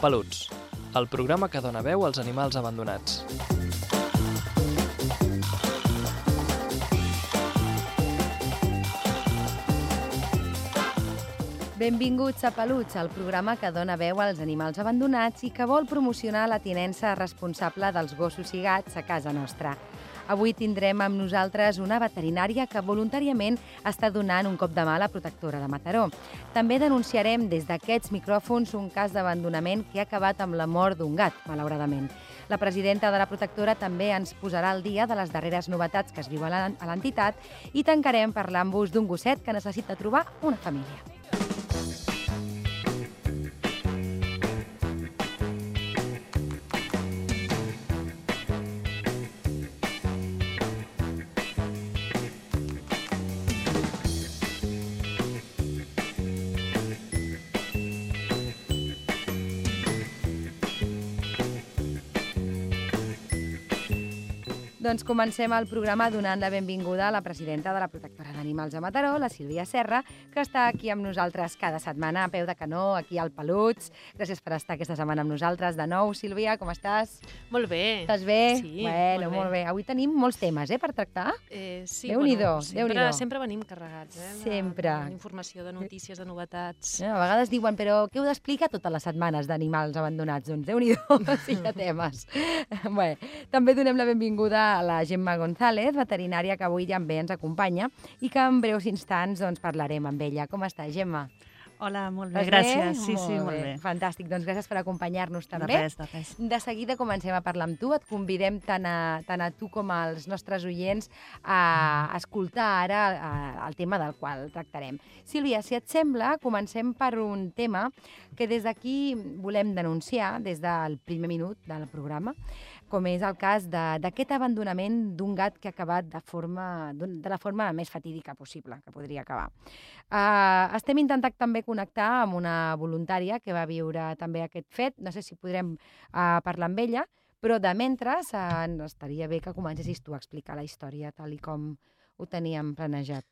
Peluts, el programa que dona veu als animals abandonats. Benvinguts a Peluts, el programa que dona veu als animals abandonats i que vol promocionar la tinença responsable dels gossos i gats a casa nostra. Avui tindrem amb nosaltres una veterinària que voluntàriament està donant un cop de mà a la protectora de Mataró. També denunciarem des d'aquests micròfons un cas d'abandonament que ha acabat amb la mort d'un gat, malauradament. La presidenta de la protectora també ens posarà al dia de les darreres novetats que es viuen a l'entitat i tancarem parlant-vos d'un gosset que necessita trobar una família. Doncs comencem el programa donant la benvinguda a la presidenta de la Protectora d'Animals de Mataró, la Sílvia Serra, que està aquí amb nosaltres cada setmana a peu de canó, aquí al Peluts. Gràcies per estar aquesta setmana amb nosaltres de nou. Sílvia, com estàs? Molt bé. Estàs bé? Sí, bueno, molt bé. Avui tenim molts temes, per tractar. Sí, Déu-n'hi-do, Déu-n'hi-do. Sempre venim carregats, Sempre. D'informació, de notícies, de novetats. A vegades diuen, però què heu d'explicar totes les setmanes d'animals abandonats? Doncs Déu-n'hi-do, sí que temes. Bé, també donem la benvinguda a la Gemma González, veterinària que avui també ens acompanya i que en breus instants parlarem amb ella. Com està, Gemma? Hola, molt bé, gràcies. Sí, molt bé. Fantàstic, doncs gràcies per acompanyar-nos també. De res. De seguida comencem a parlar amb tu, et convidem tant a tu com als nostres oients a escoltar ara el tema del qual tractarem. Sílvia, si et sembla, comencem per un tema que des d'aquí volem denunciar des del primer minut del programa, com és el cas d'aquest abandonament d'un gat que ha acabat de la forma més fatídica possible que podria acabar. Estem intentant també connectar amb una voluntària que va viure també aquest fet. No sé si podrem parlar amb ella, però de mentre estaria bé que comencessis tu a explicar la història tal i com ho teníem planejat.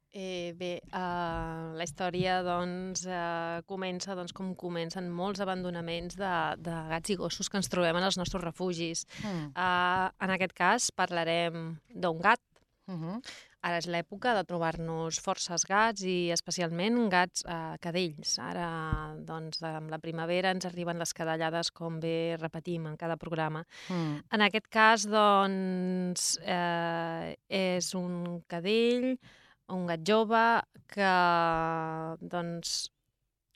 La història comença com comencen molts abandonaments de gats i gossos que ens trobem en els nostres refugis. En aquest cas parlarem d'un gat. Ara és l'època de trobar-nos forces gats i especialment gats cadells. Ara, amb la primavera ens arriben les cadellades, com bé repetim en cada programa. En aquest cas, és un cadell, un gat jove que,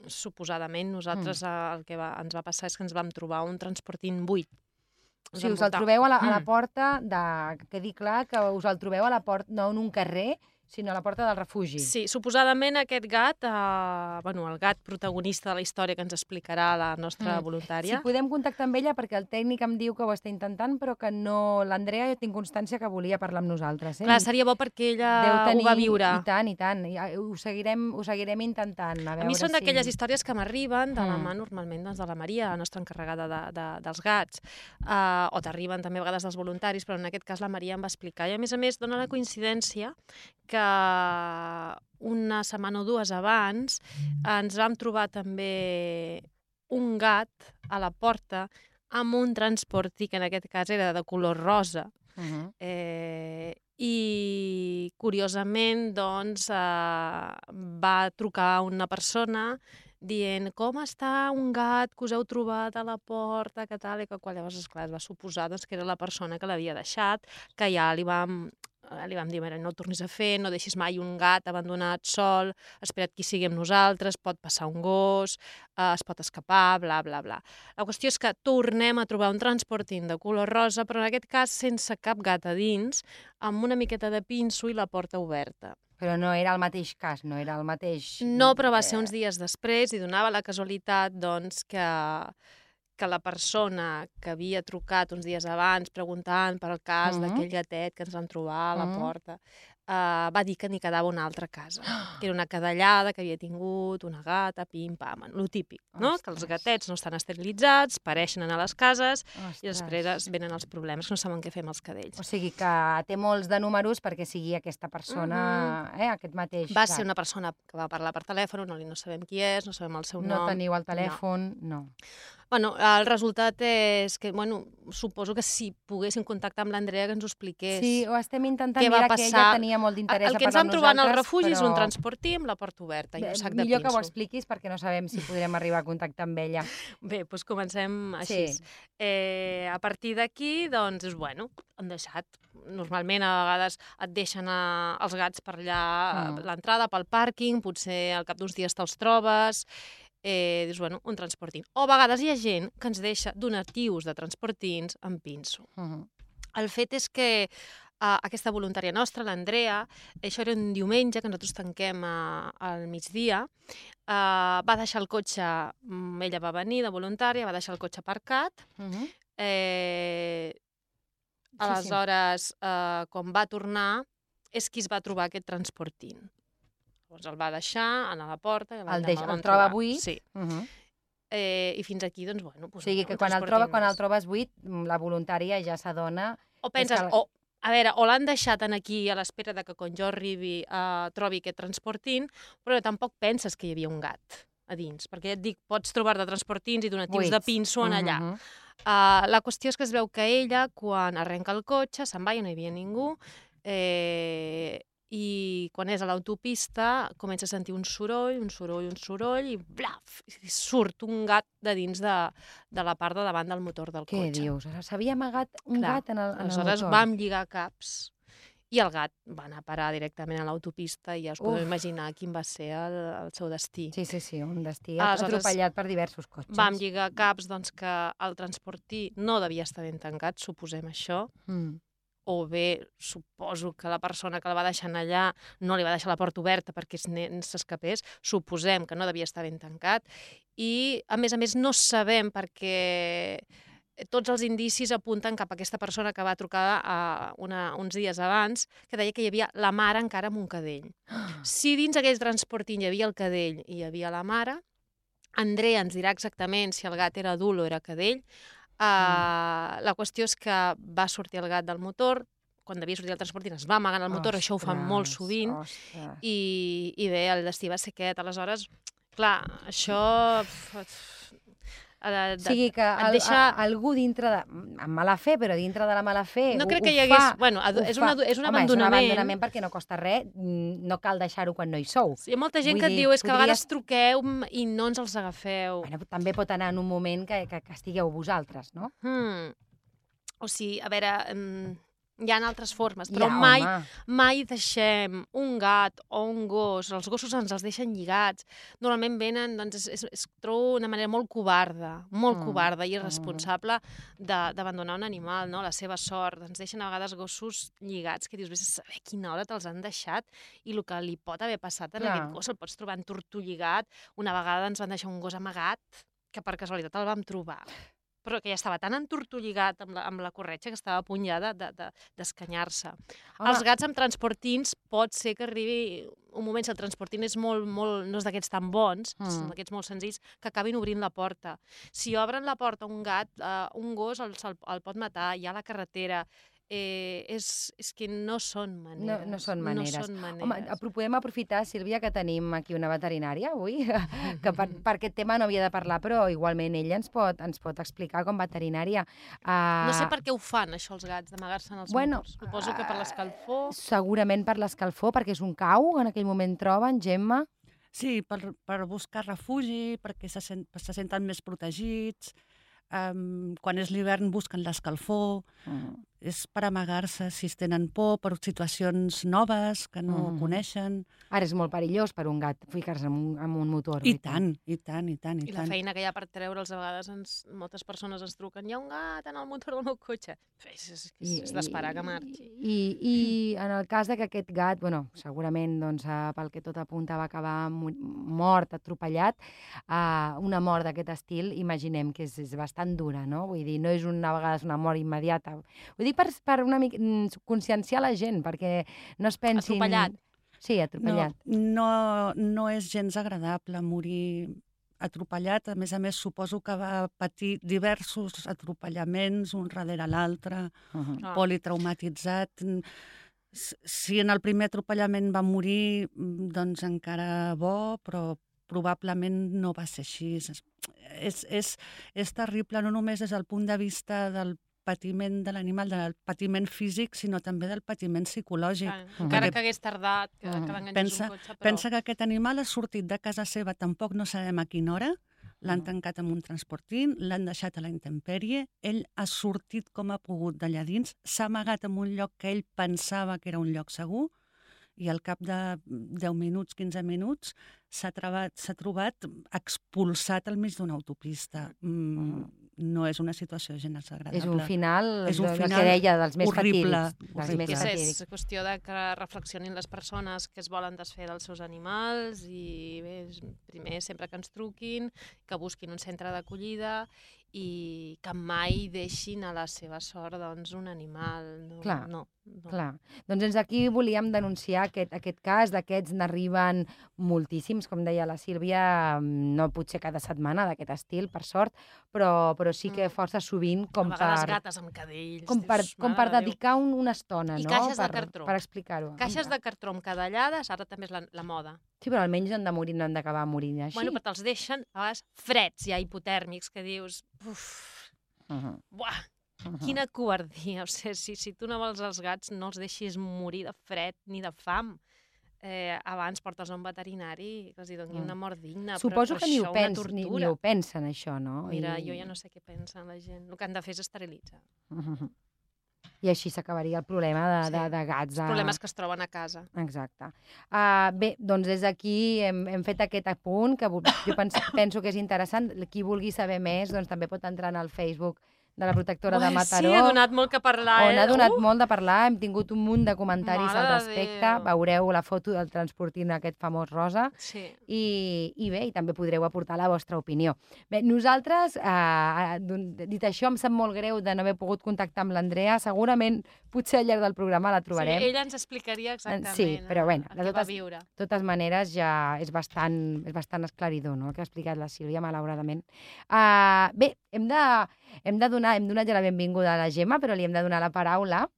suposadament, nosaltres el que ens va passar és que ens vam trobar un transportint buit. O sigui, us el trobeu a la porta, que dic clar, que us el trobeu a la porta, no en un carrer, sinó a la porta del refugi. Sí, suposadament aquest gat, el gat protagonista de la història que ens explicarà la nostra voluntària. Si podem contactar amb ella, perquè el tècnic em diu que ho està intentant, però que no... L'Andrea, jo tinc constància que volia parlar amb nosaltres. Clar, seria bo perquè ella ho va viure. I tant. Ho seguirem intentant. A mi són d'aquelles històries que m'arriben de la mà normalment de la Maria, la nostra encarregada dels gats, o t'arriben també a vegades dels voluntaris, però en aquest cas la Maria em va explicar. I a més dona la coincidència que una setmana o dues abans ens vam trobar també un gat a la porta amb un transporti que en aquest cas era de color rosa. I curiosament va trucar una persona dient com està un gat que us heu trobat a la porta, que tal, i que quan llavors, esclar, es va suposar que era la persona que l'havia deixat, que ja li vam dir, no ho tornis a fer, no deixis mai un gat abandonat sol, espera't que hi sigui amb nosaltres, pot passar un gos, es pot escapar, bla, bla, bla. La qüestió és que tornem a trobar un transporting de color rosa, però en aquest cas sense cap gat a dins, amb una miqueta de pinso i la porta oberta. Però no era el mateix cas, no era el mateix... No, però va ser uns dies després i donava la casualitat, que la persona que havia trucat uns dies abans preguntant per el cas d'aquell gatet que ens vam trobar a la porta, va dir que n'hi quedava una altra casa, que era una cadellada que havia tingut una gata, pim-pam, lo típic, no? Que els gatets no estan esterilitzats, pareixen a les cases i després venen els problemes, que no saben què fer amb els cadells. O sigui que té molts de números perquè sigui aquesta persona, aquest mateix Va gat. ser una persona que va parlar per telèfon, no sabem qui és, no sabem el seu nom. No teniu el telèfon, no. Bueno, el resultat és que, suposo que si poguéssim contactar amb l'Andrea que ens ho expliqués. Sí, ho estem intentant, què va mira que passar. ella tenia molt d'interès El a que ens parlar vam amb trobar en el nosaltres, refugi és un però transportí amb la porta oberta i un sac de millor que ho pinso. expliquis perquè no sabem si podrem arribar a contactar amb ella. Bé, doncs comencem així. Sí. A partir d'aquí, doncs, han deixat. Normalment, a vegades et deixen els gats per allà a l'entrada, pel pàrquing, potser al cap d'uns dies te'ls trobes, dius, un transportint. O a vegades hi ha gent que ens deixa donatius de transportins amb pinso. El fet és que aquesta voluntària nostra, l'Andrea, això era un diumenge, que nosaltres tanquem al migdia, va deixar el cotxe, ella va venir de voluntària, va deixar el cotxe aparcat, aleshores, quan va tornar, és qui es va trobar aquest transportint. Llavors el va deixar, anar a la porta... El troba buit? Sí. I fins aquí, doncs, O sigui, que quan el trobes buit, la voluntària ja s'adona... O penses, o l'han deixat aquí a l'espera que quan jo arribi trobi aquest transportint, però tampoc penses que hi havia un gat a dins, perquè ja et dic, pots trobar-te transportins i donatius de pinso en allà. La qüestió és que es veu que ella, quan arrenca el cotxe, se'n va i no hi havia ningú, i quan és a l'autopista comença a sentir un soroll, i blaf, i surt un gat de dins de la part de davant del motor del cotxe. Què dius? S'havia amagat un gat en el motor? Aleshores vam lligar caps i el gat va anar a parar directament a l'autopista i ja us podeu imaginar quin va ser el seu destí. Sí, un destí atropellat per diversos cotxes. Vam lligar caps que el transportí no devia estar ben tancat, suposem això, o bé, suposo que la persona que la va deixar allà no li va deixar la porta oberta perquè s'escapés, suposem que no devia estar ben tancat, i a més no sabem perquè tots els indicis apunten cap a aquesta persona que va trucar uns dies abans, que deia que hi havia la mare encara amb un cadell. Si dins aquell transportint hi havia el cadell i hi havia la mare, Andrea ens dirà exactament si el gat era adult o era cadell. La qüestió és que va sortir el gat del motor, quan devia sortir el transportint es va amagar en el motor, això ho fan molt sovint, i bé, el destí va ser aquest. Aleshores, clar, això... O sigui que algú dintre de... amb mala fe, però dintre de la mala fe no crec que hi hagués... És un abandonament. Home, és un abandonament perquè no costa res, no cal deixar-ho quan no hi sou. Hi ha molta gent que et diu, és que a vegades truqueu i no ens els agafeu. També pot anar en un moment que estigueu vosaltres, no? O sigui, a veure... Hi ha altres formes, però mai deixem un gat o un gos, els gossos ens els deixen lligats, normalment venen, doncs es trobo una manera molt covarda i irresponsable d'abandonar un animal, no? La seva sort, ens deixen a vegades gossos lligats, que dius, vés a saber a quina hora te'ls han deixat i el que li pot haver passat a aquest gos, el pots trobar entortolligat, una vegada ens van deixar un gos amagat, que per casualitat el vam trobar, però que ja estava tan entortolligat amb la corretja que estava a punt ja d'escanyar-se. Els gats amb transportins pot ser que arribi un moment, si el transportint és no és d'aquests tan bons, són d'aquests molt senzills, que acabin obrint la porta. Si obren la porta un gat, un gos el pot matar, hi ha la carretera... És que no són maneres. No són maneres. Home, podem aprofitar, Sílvia, que tenim aquí una veterinària avui, que per aquest tema no havia de parlar, però igualment ella ens pot explicar com veterinària. No sé per què ho fan, això, els gats, d'amagar-se en els motors. Suposo que per l'escalfor. Segurament per l'escalfor, perquè és un cau, en aquell moment troben, Gemma. Sí, per buscar refugi, perquè se senten més protegits. Quan és l'hivern busquen l'escalfor. És per amagar-se si es tenen por, per situacions noves que no coneixen. Ara és molt perillós per un gat ficar-se en un motor. I tant. I la feina que hi ha per treure'ls, a vegades moltes persones ens truquen, hi ha un gat en el motor del meu cotxe. És d'esperar que marxi. I en el cas que aquest gat, segurament pel que tot apunta va acabar mort, atropellat, una mort d'aquest estil, imaginem que és bastant dura, no? Vull dir, no és a vegades una mort immediata. Vull dir, per una mica conscienciar la gent, perquè no es pensin... Atropellat. Sí, atropellat. No és gens agradable morir atropellat. A més, suposo que va patir diversos atropellaments, un darrere l'altre, politraumatitzat. Si en el primer atropellament va morir, doncs encara bo, però probablement no va ser així. és terrible, no només des del punt de vista del patiment de l'animal, del patiment físic, sinó també del patiment psicològic. Encara que hagués tardat, que l'enganxés un cotxe, però... Pensa que aquest animal ha sortit de casa seva, tampoc no sabem a quina hora, l'han tancat amb un transportín, l'han deixat a la intempèrie, ell ha sortit com ha pogut d'allà dins, s'ha amagat en un lloc que ell pensava que era un lloc segur, i al cap de 10 minuts, 15 minuts, s'ha trobat expulsat al mig d'una autopista. No és una situació gens agradable. És un final, el que deia, dels més fatídics. És qüestió de que reflexionin les persones que es volen desfer dels seus animals i bé, primer, sempre que ens truquin, que busquin un centre d'acollida i que mai deixin a la seva sort un animal. Clar. Doncs des d'aquí volíem denunciar aquest cas, d'aquests n'arriben moltíssims, com deia la Sílvia, no potser cada setmana d'aquest estil, per sort, però sí que força sovint com per... A vegades gates amb cadells. Com per dedicar una estona, no? I caixes de cartró. Per explicar-ho. Caixes de cartró amb cadellades, ara també és la moda. Sí, però almenys no han de morir, no han d'acabar morint així. Bueno, però te'ls deixen a vegades freds, ja hipotèrmics, que dius... Buah! Quina covardia. O sigui, si tu no vols els gats, no els deixis morir de fred ni de fam. Abans portes a un veterinari que els doni una mort digna. Suposo que ni ho pensen, això, no? Mira, jo ja no sé què pensa la gent. El que han de fer és esterilitzar. I així s'acabaria el problema de gats. Els problemes que es troben a casa. Exacte. Bé, doncs des d'aquí hem fet aquest apunt, que jo penso que és interessant. Qui vulgui saber més, doncs també pot entrar en el Facebook de la protectora de Mataró. Sí, ha donat molt que parlar. On ha donat molt de parlar, hem tingut un munt de comentaris al respecte. Veureu la foto del transportint aquest famós rosa. Sí. I bé, i també podreu aportar la vostra opinió. Bé, nosaltres, dit això, em sap molt greu de no haver pogut contactar amb l'Andrea. Segurament, potser al llarg del programa la trobarem. Sí, ella ens explicaria exactament. Sí, però bé, de totes maneres ja és bastant esclaridor, no?, el que ha explicat la Sílvia, malauradament. Bé, hem donat ja la benvinguda a la Gemma, però li hem de donar la paraula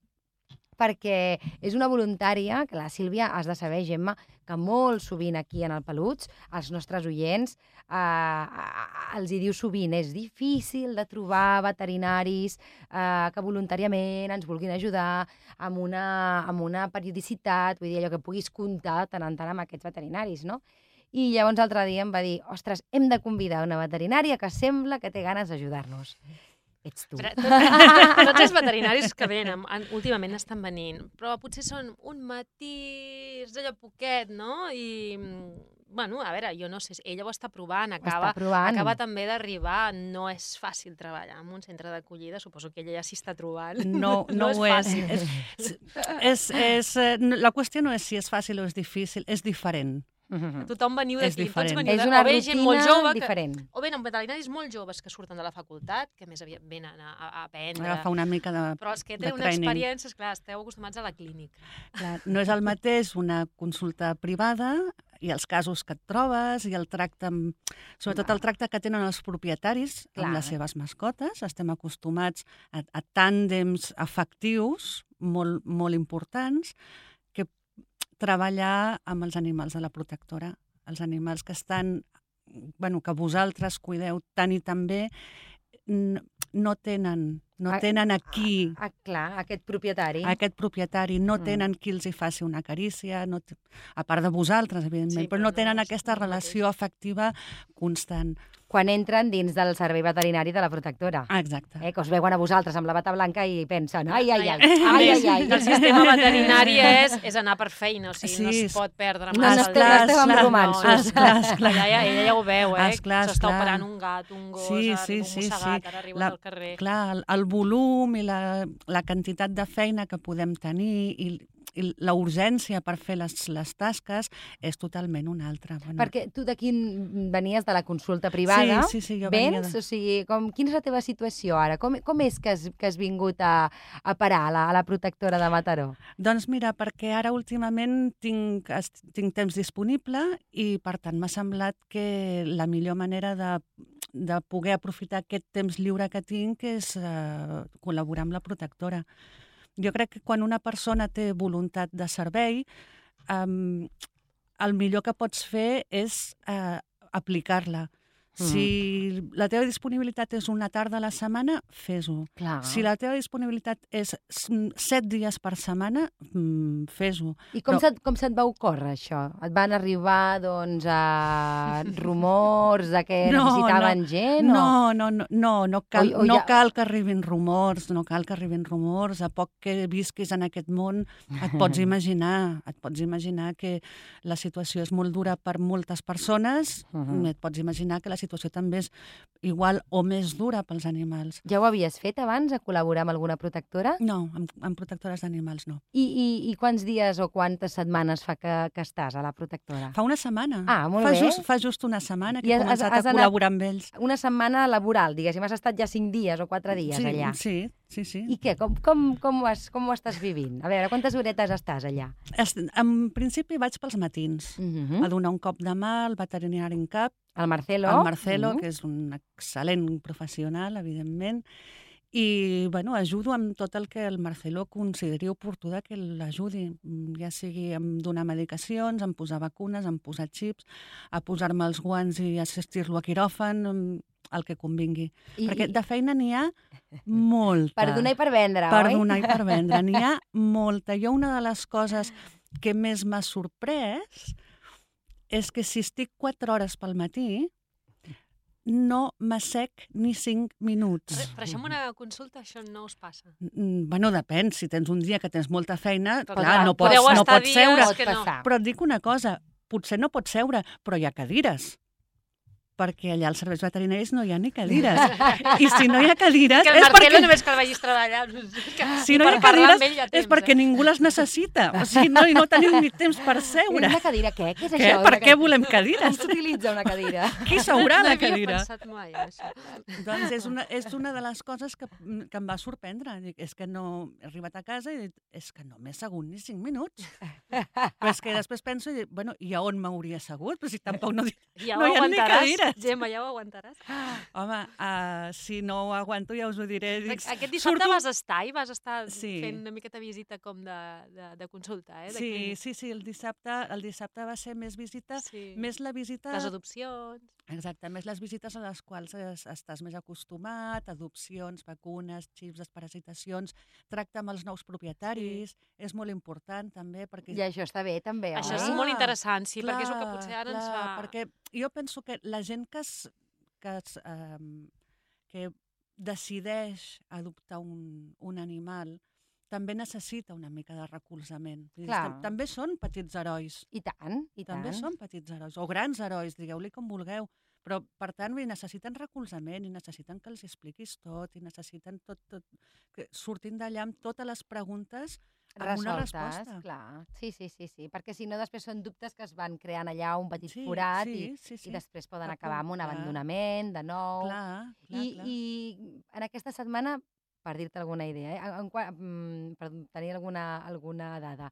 perquè és una voluntària, que la Sílvia, has de saber, Gemma, que molt sovint aquí en el Peluts, els nostres oients, els hi diu sovint, és difícil de trobar veterinaris que voluntàriament ens vulguin ajudar amb una periodicitat, vull dir, allò que puguis comptar tant en tant amb aquests veterinaris, no? I llavors l'altre dia em va dir, ostres, hem de convidar una veterinària que sembla que té ganes d'ajudar-nos. Ets tu. Tots els veterinaris que venen, últimament estan venint, però potser són un matís d'allò poquet, no? I, bueno, a veure, jo no sé, ella ho està provant, acaba també d'arribar, no és fàcil treballar en un centre d'acollida, suposo que ella ja s'hi està trobant. No és fàcil. La qüestió no és si és fàcil o és difícil, és diferent. Tothom veniu d'aquí, tots veniu és una rutina diferent. O venen veterinaris molt joves que surten de la facultat, que més aviat venen a aprendre. Agafar una mica de training. Però els que tenen una experiència, esclar, esteu acostumats a la clínica. Clar, no és el mateix una consulta privada i els casos que et trobes i el tracte, sobretot el tracte que tenen els propietaris amb les seves mascotes. Estem acostumats a tàndems afectius molt, molt importants, treballar amb els animals de la protectora, els animals que estan, que vosaltres cuideu tant i tan bé, no tenen aquí... Clar, aquest propietari. Aquest propietari, no tenen qui els hi faci una carícia, a part de vosaltres, evidentment, però no tenen aquesta relació afectiva constant. Quan entren dins del servei veterinari de la protectora. Exacte. Que us veuen a vosaltres amb la bata blanca i pensen, ai. El sistema veterinari és anar per feina, o sigui, no es pot perdre massa el dia. No estem amb romanços. Ella ja ho veu, s'està operant un gat, un gos, un mossegat, ara arriben al carrer. Clar, el volum i la quantitat de feina que podem tenir i la urgència per fer les tasques és totalment una altra. Perquè tu d'aquí venies de la consulta privada. Sí, jo venia O sigui, quina és la teva situació ara? Com és que has vingut a parar a la protectora de Mataró? Doncs mira, perquè ara últimament tinc temps disponible i per tant m'ha semblat que la millor manera de poder aprofitar aquest temps lliure que tinc és col·laborar amb la protectora. Jo crec que quan una persona té voluntat de servei, el millor que pots fer és aplicar-la. Si la teva disponibilitat és una tarda a la setmana, fes-ho. Si la teva disponibilitat és 7 dies per setmana, fes-ho. I com se't va ocórrer això? Et van arribar, doncs, rumors de que necessitaven gent? No cal que arribin rumors, A poc que visquis en aquest món, et pots imaginar que la situació és molt dura per moltes persones, et pots imaginar que la situació també és igual o més dura pels animals. Ja ho havies fet abans, a col·laborar amb alguna protectora? No, amb protectores d'animals no. I quants dies o quantes setmanes fa que estàs a la protectora? Fa una setmana. Molt bé. Fa just una setmana que he començat a col·laborar amb ells. Una setmana laboral, diguéssim. Has estat ja 5 dies o 4 dies allà. Sí. I què? Com ho estàs vivint? A veure, quantes horetes estàs allà? En principi vaig pels matins, a donar un cop de mà al veterinari en cap. El Marcelo, que és un excel·lent professional, evidentment, i ajudo amb tot el que el Marcelo consideri oportú que l'ajudi, ja sigui en donar medicacions, en posar vacunes, en posar xips, a posar-me els guants i assistir-lo a quiròfan, el que convingui. Perquè de feina n'hi ha molta. Per donar i per vendre, Per oi? donar i per vendre. N'hi ha molta. Jo una de les coses que més m'ha sorprès és que si estic 4 hores pel matí, no m'assec ni 5 minuts. Però això amb una consulta, això no us passa? Depèn. Si tens un dia que tens molta feina, Però clar, no pots seure. Però et dic una cosa, potser no pots seure, però hi ha cadires. Perquè allà als serveis veterinaris no hi ha ni cadires. I si no hi ha cadires... Que el Marcelo només que el vagis treballar. Si no hi ha cadires és perquè ningú les necessita. O sigui, no tenim ni temps per seure. Una cadira, què? Què és això? Per què volem cadires? Com s'utilitza una cadira? Qui seurà la cadira? No havia pensat mai, això. Doncs és una de les coses que em va sorprendre. És que no he arribat a casa i és que no m'he assegut ni 5 minuts. Però és que després penso i dic, i a on m'hauria assegut? Però si tampoc no hi ha ni cadires. Gemma, ja ho aguantaràs? Home, si no ho aguanto ja us ho diré. Aquest dissabte vas estar fent una miqueta visita com de consulta, eh? Sí, el dissabte va ser més visita, més la visita... Les adopcions... Exacte, més les visites a les quals estàs més acostumat, adopcions, vacunes, xips, desparasitacions, tracte amb els nous propietaris, és molt important també perquè... I això està bé també, oi? Això és molt interessant, sí, perquè és el que potser ara ens fa... Perquè jo penso que la gent que decideix adoptar un animal també necessita una mica de recolzament. També són petits herois. I tant. També són petits herois, o grans herois, digueu-li com vulgueu. Però, per tant, necessiten recolzament i necessiten que els expliquis tot i necessiten tot que surtin d'allà amb totes les preguntes amb una resposta. Clar. Sí, perquè si no després són dubtes que es van creant allà un petit forat i després poden acabar amb un abandonament de nou. I en aquesta setmana, per dir-te alguna idea, per tenir alguna dada,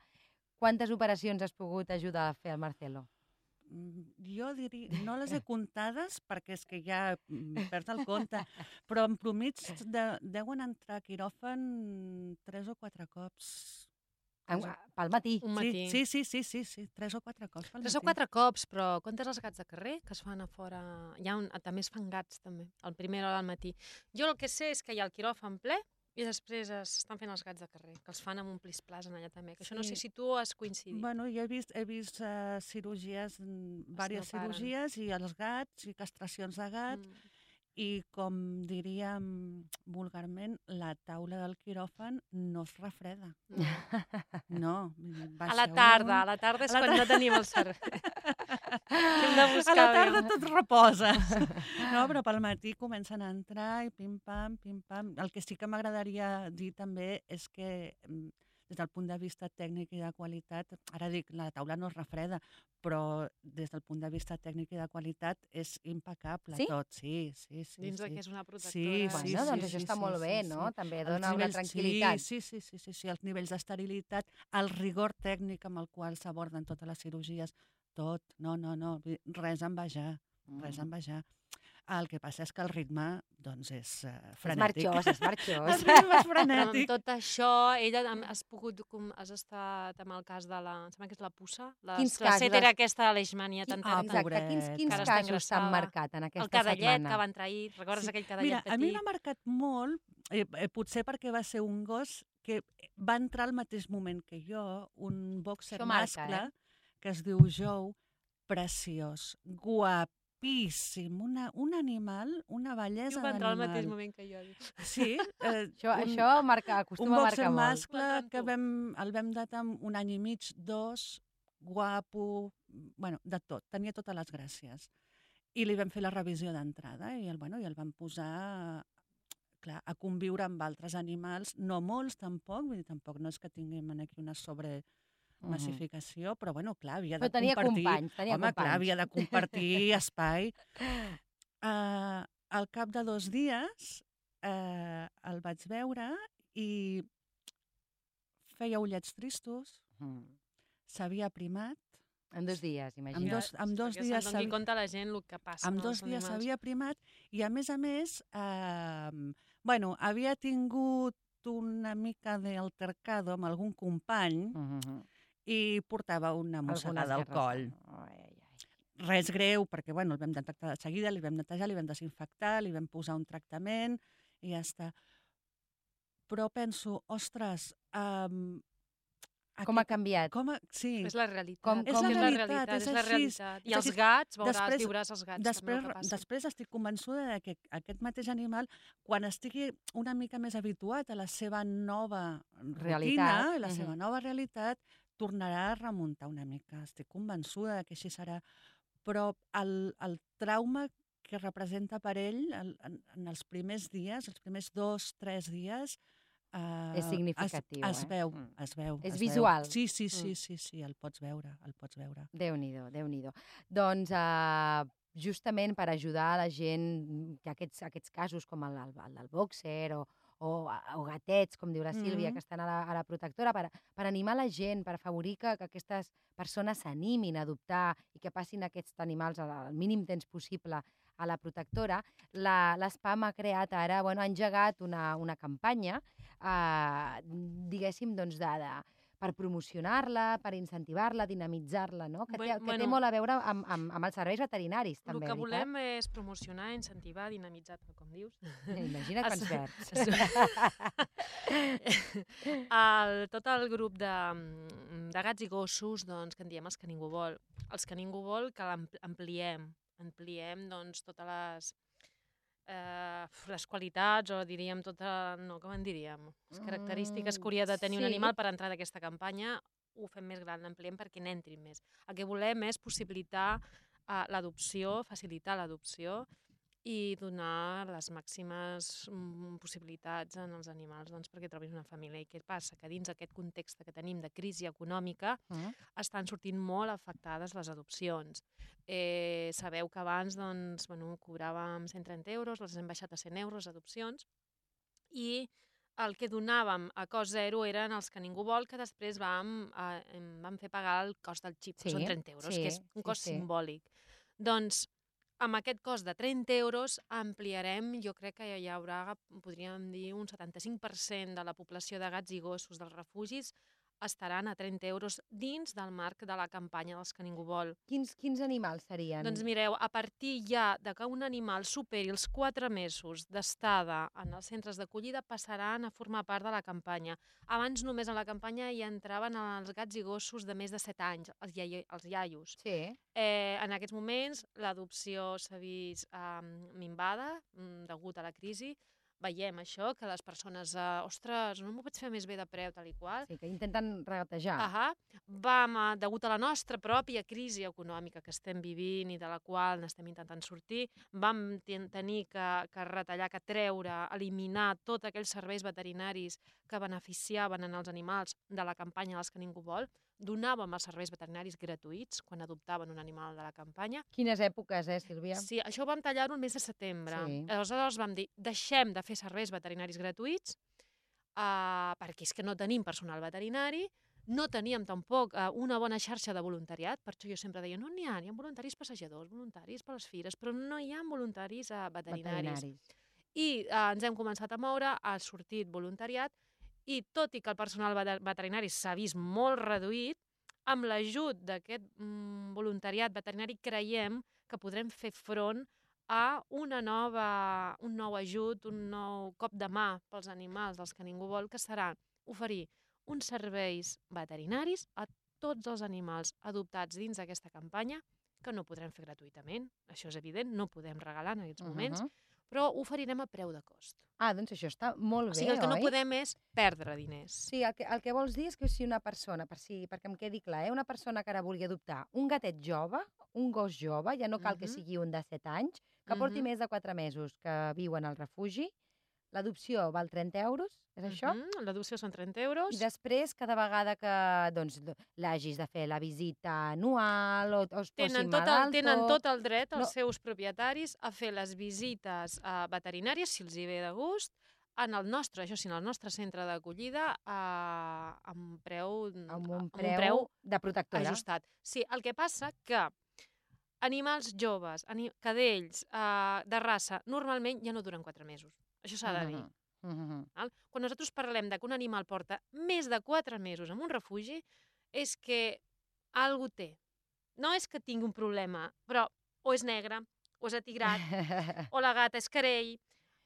quantes operacions has pogut ajudar a fer al Marcelo? Jo diria, no les he comptades perquè és que ja perds el compte, però en promig deuen entrar a quiròfan 3 o 4 cops. Pel matí? Un matí. Sí, 3 o 4 cops pel matí. 3 o 4 cops, però comptes els gats de carrer que es fan a fora? També es fan gats, també, el primer hora del matí. Jo el que sé és que hi ha el quiròfan ple i després estan fent els gats de carrer, que els fan amb un plis-plas allà també, que això no sé si tu has coincidit. Bueno, jo he vist cirurgies, diverses cirurgies, i els gats, i castracions de gat, i com diríem vulgarment, la taula del quiròfan no es refreda. No. A la tarda és quan no tenim el servei. Hem de buscar. A la tarda tot reposa. No, però pel matí comencen a entrar i pim-pam, pim-pam. El que sí que m'agradaria dir també és que des del punt de vista tècnic i de qualitat, ara dic, la taula no es refreda, però des del punt de vista tècnic i de qualitat és impecable tot. Sí. Dins que és una protectora. Sí, doncs això està molt bé, no? També dona una tranquil·litat. Sí, els nivells d'esterilitat, el rigor tècnic amb el qual s'aborden totes les cirurgies, tot, no, res a envejar, res a envejar. El que passa és que el ritme doncs, és És frenètic. marxós, és marxós. El ritme és Però amb frenètic. tot això, ella has estat amb el cas de la... Em sembla que és la puça? Quins La casos? cetera aquesta de leishmania tan Ah, terrible. Exacte, quins pobreta. quins Que ara està casos t'han ingressada. marcat en El aquesta cadallet setmana? que va entrar ahir. Recordes aquell cadallet Mira, petit? a mi m'ha marcat molt, potser perquè va ser un gos que va entrar al mateix moment que jo, un boxer Això marca, mascle, que es diu Joe, preciós, guapíssim, un animal, una bellesa Va entrar al d'animal. mateix moment que jo. Sí, Això acostuma a marcar boxer molt. mascle M'entrar amb que tu. el vam datar amb 1 any i mig, 2, guapo, bueno, de tot, tenia totes les gràcies. I li vam fer la revisió d'entrada i el vam posar clar, a conviure amb altres animals, no molts tampoc, vull dir, tampoc no és que tinguem aquí una sobremassificació, però bueno, clar, havia de Però tenia compartir... companys, tenia Home, clar, companys. havia de compartir espai. Al cap de 2 dies el vaig veure i feia ullets tristos, s'havia aprimat, En 2 dies, Amb imagina't. dos- amb 2 Perquè dies se'n doni compte la gent el que passa amb amb 2 els dies animals. s'havia primat i, a més, bueno, havia tingut una mica d'altercado amb algun company i portava una mossegada al coll. Res greu, perquè bueno, el vam detectar de seguida, li vam netejar, li vam desinfectar, li vam posar un tractament i ja està. Però penso, ostres, Com ha canviat? Sí. És la realitat. Com- És la realitat, és és la així. realitat. I És els així. gats, Després- viuràs els gats també el que passa. Després estic convençuda que aquest mateix animal, quan estigui una mica més habituat a la seva nova Realitat, rutina, a la seva nova realitat, tornarà a remuntar una mica. Estic convençuda que així serà. Però el trauma que representa per ell en els primers dies, els primers 2-3 dies, És significatiu, es veu, Mm. es veu. És es visual. Veu. Sí, el pots veure, Déu-n'hi-do, Déu-n'hi-do. Doncs justament per ajudar a la gent que aquests casos com el del bòxer o gatets, com diu la Sílvia, que estan a la protectora, per animar la gent, per afavorir que aquestes persones s'animin a adoptar i que passin aquests animals al mínim temps possible a la protectora, l'SPAM ha creat ara, ha engegat una campanya, diguéssim, doncs, per promocionar-la, per incentivar-la, dinamitzar-la, no? Que té molt a veure amb els serveis veterinaris, també, El que veritat? volem és promocionar, incentivar, dinamitzar, com dius. Imagina't quants verbs. Tot el grup de gats i gossos, doncs, que en diem els que ningú vol. Els que ningú vol, que l'ampliem doncs, totes les qualitats, o diríem com en diríem? Les característiques que hauria de tenir un animal per entrar d'aquesta campanya, ho fem més gran, l'ampliem perquè n'entrin més. El que volem és possibilitar l'adopció, facilitar l'adopció i donar les màximes possibilitats als animals perquè trobin una família. I què passa? Que dins aquest context que tenim de crisi econòmica estan sortint molt afectades les adopcions. Sabeu que abans cobràvem 130 euros, les hem baixat a 100 euros, adopcions, i el que donàvem a cost zero eren els que ningú vol, que després vam fer pagar el cost del xip, que són 30 euros, que és un cost simbòlic. Doncs, amb aquest cost de 30 euros ampliarem, jo crec que hi haurà, podríem dir, un 75% de la població de gats i gossos dels refugis estaran a 30 euros dins del marc de la campanya dels que ningú vol. Quins animals serien? Doncs mireu, a partir ja de que un animal superi els 4 mesos d'estada en els centres d'acollida passaran a formar part de la campanya. Abans només a la campanya hi entraven els gats i gossos de més de 7 anys, els iaios. Sí. En aquests moments l'adopció s'ha vist minvada degut a la crisi. Veiem això, que les persones, ostres, no m'ho pots fer més bé de preu, tal i qual. Sí, que intenten regatejar. Degut a la nostra pròpia crisi econòmica que estem vivint i de la qual n'estem intentant sortir, vam tenir que retallar, que treure, eliminar tots aquells serveis veterinaris que beneficiaven els animals de la campanya dels que ningú vol. Donàvem els serveis veterinaris gratuïts quan adoptaven un animal de la campanya. Quines èpoques, Sílvia? Sí, això vam tallar-ho el mes de setembre. Sí. Aleshores vam dir, deixem de fer serveis veterinaris gratuïts perquè és que no tenim personal veterinari, no teníem tampoc una bona xarxa de voluntariat, per això jo sempre deia, no n'hi ha voluntaris passejadors, voluntaris per les fires, però no hi ha voluntaris veterinaris. I ens hem començat a moure, ha sortit voluntariat, i tot i que el personal veterinari s'ha vist molt reduït, amb l'ajut d'aquest voluntariat veterinari creiem que podrem fer front a un nou ajut, un nou cop de mà pels animals dels que ningú vol, que serà oferir uns serveis veterinaris a tots els animals adoptats dins d'aquesta campanya, que no podrem fer gratuïtament, això és evident, no podem regalar en aquests moments, però oferirem a preu de cost. Doncs això està molt bé, oi? O sigui, el que no podem és perdre diners. Sí, el que vols dir és que si una persona, perquè em quedi clar, una persona que ara vulgui adoptar un gatet jove, un gos jove, ja no cal que sigui un de 7 anys, que porti més de 4 mesos que viuen al refugi, l'adopció val 30 euros, és això? L'adopció són 30 euros. I després, cada vegada que l'hagis de fer la visita anual o es posi malalt... Tenen tot el dret, els seus propietaris, a fer les visites veterinàries, si els hi ve de gust, en el nostre centre d'acollida, amb un preu de protectora. Ajustat. Sí, el que passa que animals joves, cadells de raça, normalment ja no duren 4 mesos. Això s'ha de dir. Quan nosaltres parlem que un animal porta més de 4 mesos en un refugi, és que algú té. No és que tingui un problema, però o és negre, o és atigrat, o la gata és carell,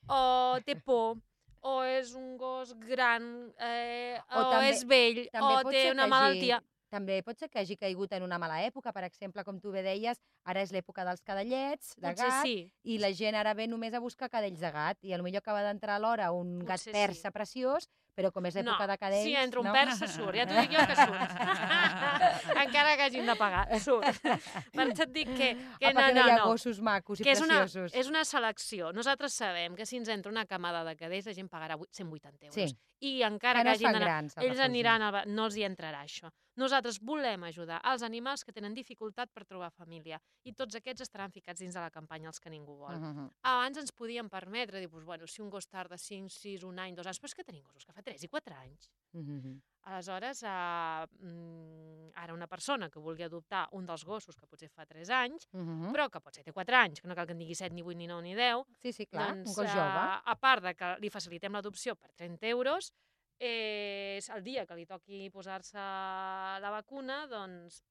o té por, o és un gos gran, o és vell, o té una malaltia. També pot ser que hagi caigut en una mala època, per exemple, com tu bé deies, ara és l'època dels cadellets, de gat, i la gent ara ve només a buscar cadells de gat, i potser acaba d'entrar a l'hora un gat persa preciós, però com és l'època de cadells... Si entra un persa, surt. Ja t'ho dic jo que surt. Encara que hagin de pagar, surt. Per això et dic que no hi ha gossos macos i preciosos. És una selecció. Nosaltres sabem que si ens entra una camada de cadells, la gent pagarà 180 euros. I encara que hagin d'anar... Ells aniran... No els hi entrarà això. Nosaltres volem ajudar els animals que tenen dificultat per trobar família. I tots aquests estaran ficats dins de la campanya Els que ningú vol. Abans ens podíem permetre dir, si un gos tarda 5, 6, un any, 2 anys, però és que tenim gossos que fa 3 i 4 anys. Aleshores, ara una persona que vulgui adoptar un dels gossos que potser fa 3 anys, però que potser té 4 anys, que no cal que en digui 7, ni 8, ni 9, ni 10, sí, clar, un gos jove. A part que li facilitem l'adopció per 30 euros, és el dia que li toqui posar-se la vacuna, doncs...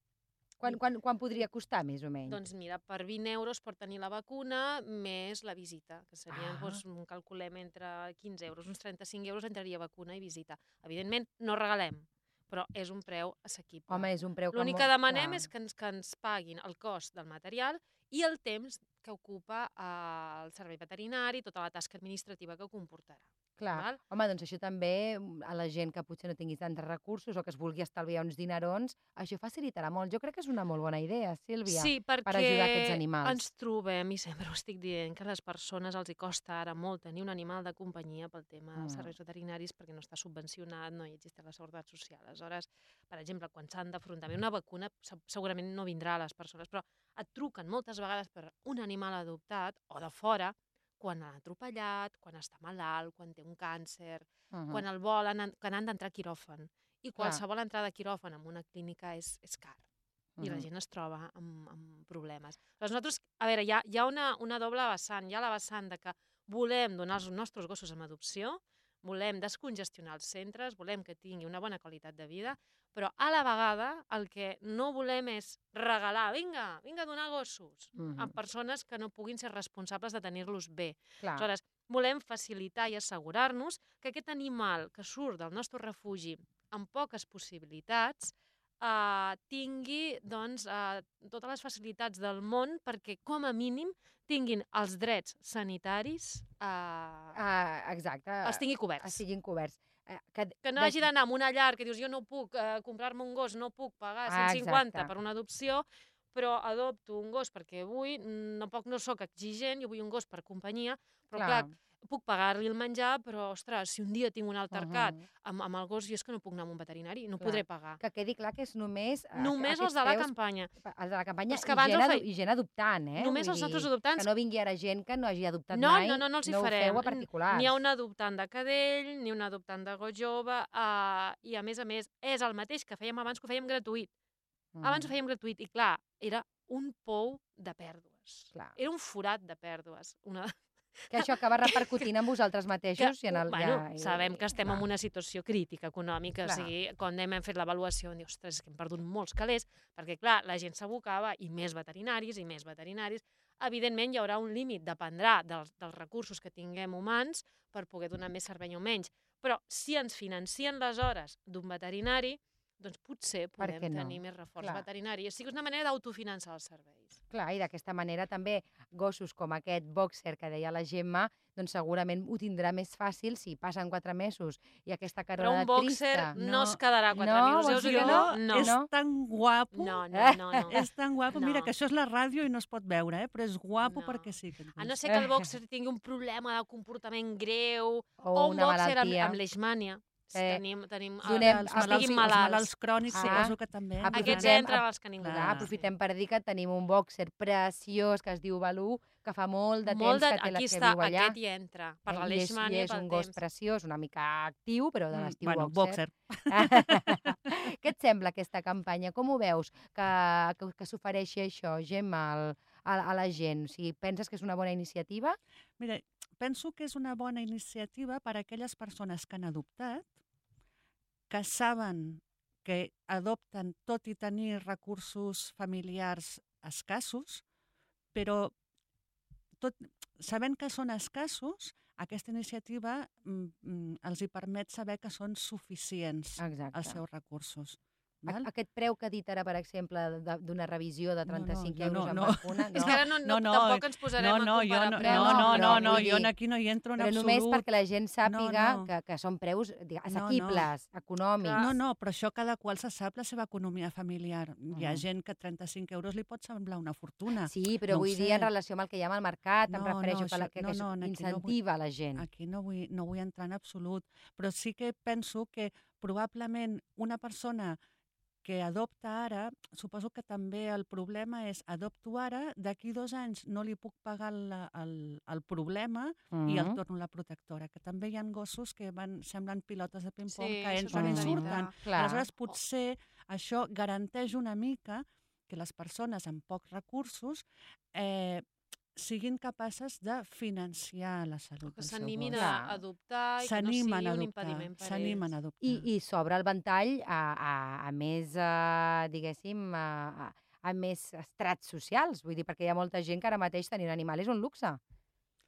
Quan podria costar, més o menys? Doncs mira, per 20 euros pot tenir la vacuna més la visita, que serien, calculem, entre 15 euros, uns 35 euros entraria vacuna i visita. Evidentment, no regalem, però és un preu assequible. Home, és un preu que... L'únic que demanem és que ens paguin el cost del material i el temps que ocupa el servei veterinari, tota la tasca administrativa que comportarà. Clar. Home, doncs això també a la gent que potser no tingui tants recursos o que es vulgui estalviar uns dinerons, això facilitarà molt. Jo crec que és una molt bona idea, Sílvia, per ajudar aquests animals. Sí, perquè ens trobem, i sempre ho estic dient, que a les persones els hi costa ara molt tenir un animal de companyia pel tema dels serveis veterinaris perquè no està subvencionat, no hi existeix la seguretat social. Aleshores, per exemple, quan s'han d'afrontar una vacuna, segurament no vindrà a les persones, però et truquen moltes vegades per un animal adoptat o de fora, quan l'han atropellat, quan està malalt, quan té un càncer, quan el volen, que han d'entrar a quiròfan. I qualsevol entrada a quiròfan en una clínica és car. I la gent es troba amb problemes. Però nosaltres, a veure, hi ha una doble vessant. Hi ha la vessant de que volem donar els nostres gossos en adopció, volem descongestionar els centres, volem que tingui una bona qualitat de vida, però a la vegada el que no volem és regalar, vinga a donar gossos a persones que no puguin ser responsables de tenir-los bé. Aleshores, volem facilitar i assegurar-nos que aquest animal que surt del nostre refugi amb poques possibilitats tingui totes les facilitats del món perquè, com a mínim, tinguin els drets sanitaris els tingui coberts. Estiguin coberts. Que no hagi d'anar a una llar que dius jo no puc comprar-me un gos, no puc pagar 150 per una adopció, però adopto un gos perquè vull, no soc exigent, jo vull un gos per companyia, però clar, puc pagar-li el menjar, però, ostres, si un dia tinc un altercat amb el gos, jo és que no puc anar a un veterinari, no podré pagar. Que quedi clar que és només... Només els de la campanya. Els de la campanya i gent adoptant, eh? Només els nostres adoptants. Que no vingui ara gent que no hagi adoptat mai, no els hi no ho farem. feu a particulars. N'hi ha un adoptant de cadell, ni un adoptant de gos jove, i a més, és el mateix que fèiem abans, que ho fèiem gratuït. Abans ho fèiem gratuït, i clar, era un pou de pèrdues. Era un forat de pèrdues. Que això acaba repercutint en vosaltres mateixos. Sabem que estem en una situació crítica econòmica, o sigui, quan hem fet l'avaluació, hem dit, ostres, és que hem perdut molts calés, perquè, clar, la gent s'abocava, i més veterinaris, evidentment hi haurà un límit, dependrà dels recursos que tinguem humans per poder donar més servei o menys. Però si ens financien les hores d'un veterinari, doncs potser podem tenir més reforç veterinari. O sigui, és una manera d'autofinançar els serveis. Clar, i d'aquesta manera també gossos com aquest boxer que deia la Gemma, doncs segurament ho tindrà més fàcil si passen 4 mesos i aquesta carrera trista... Però un boxer no es quedarà 4 mesos. No, és tan guapo. No. És tan guapo. Mira, que això és la ràdio i no es pot veure, però és guapo perquè sí. A no ser que el boxer tingui un problema de comportament greu o un boxer amb leishmània. Tenim els malalts crònics, suposo que també. Aquests entren als que ningú. Aprofitem per dir que tenim un boxer preciós que es diu Balú, que fa molt de temps que viu allà. Aquest hi entra, per la leishmània i pel temps. És un gos preciós, una mica actiu, però de l'estiu boxer. Què et sembla aquesta campanya? Com ho veus que s'ofereixi això, Gemma, a la gent? O sigui, penses que és una bona iniciativa? Mira, penso que és una bona iniciativa per a aquelles persones que han adoptat, que saben que adopten tot i tenir recursos familiars escassos, però sabent que són escassos, aquesta iniciativa els hi permet saber que són suficients els seus recursos. Aquest preu que ha dit ara, per exemple, d'una revisió de 35 euros en vacuna... És que ara tampoc ens posarem a comparar preus. No, jo aquí no hi entro en absolut. Però només perquè la gent sàpiga que són preus assequibles, econòmics. No, però això cada qual se sap la seva economia familiar. Hi ha gent que 35 euros li pot semblar una fortuna. Sí, però vull dir en relació amb el que hi ha al mercat, em refereixo que incentiva la gent. Aquí no vull entrar en absolut, però sí que penso que probablement una persona que adopta ara, suposo que també el problema és adopto ara, d'aquí 2 anys no li puc pagar el problema i el torno a la protectora, que també hi ha gossos que semblen pilotes de ping-pong que entren i surten. Aleshores, potser això garanteix una mica que les persones amb pocs recursos siguin capaces de financiar la salut del seu gos. Que s'animin a adoptar i que no sigui un impediment per ells. S'animen a adoptar. I s'obre el ventall a més, diguéssim, a més estrats socials. Vull dir, perquè hi ha molta gent que ara mateix tenir un animal és un luxe.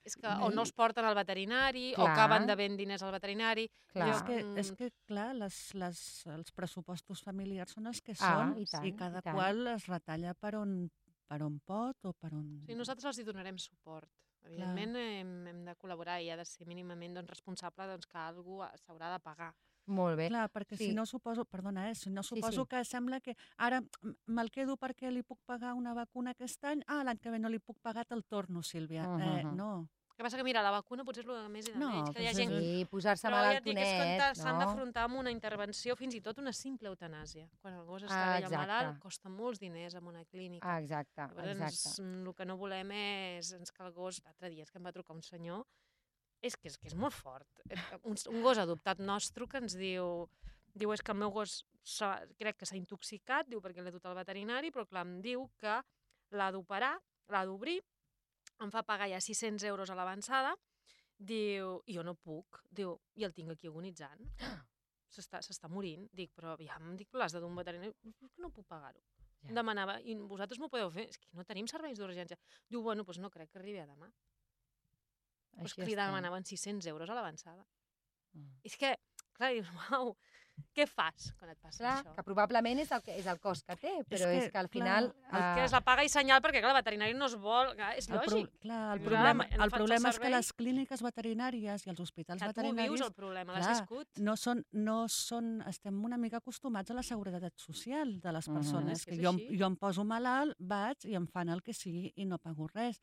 És que o no els porten al veterinari, o acaben devent diners al veterinari. És que, clar, els pressupostos familiars són els que són i cada qual es retalla per on pot o per on... Sí, nosaltres els hi donarem suport. Evidentment hem de col·laborar i ha de ser mínimament responsable que algú s'haurà de pagar. Molt bé. Clar, perquè si no suposo, perdona, suposo que sembla que ara me'l quedo perquè li puc pagar una vacuna aquest any, l'any que ve no li puc pagar, te'l torno, Sílvia. No. El que passa que, mira, la vacuna potser és el més i de menys, que hi ha gent... Sí, posar-se malaltonet, no? S'han d'afrontar amb una intervenció, fins i tot una simple eutanàsia. Quan el gos està vell o malalt, costa molts diners en una clínica. Exacte. Llavors, el que no volem és que el gos... L'altre dia és que em va trucar un senyor, és que és molt fort. Un gos adoptat nostre que ens diu, és que el meu gos crec que s'ha intoxicat, perquè l'he dut al veterinari, però clar, em diu que l'ha d'operar, l'ha d'obrir, em fa pagar ja 600 euros a l'avançada, diu, i jo no puc, diu, i el tinc aquí agonitzant, s'està morint, dic, però aviam, l'has de dur un veterinari, no puc pagar-ho. Demanava, i vosaltres m'ho podeu fer? És que no tenim serveis d'urgència. Diu, bueno, doncs no crec que arribi a demà. Doncs que li demanaven 600 euros a l'avançada. És que, clar, dius, uau, què fas quan et passa això? Que probablement és el cost que té, però és que al final... Que és la paga i senyal, perquè el veterinari no es vol... És lògic. El problema és que les clíniques veterinàries i els hospitals veterinaris... Que tu vius el problema, l'has viscut. No són... Estem una mica acostumats a la seguretat social de les persones. Jo em poso malalt, vaig i em fan el que sigui i no pago res.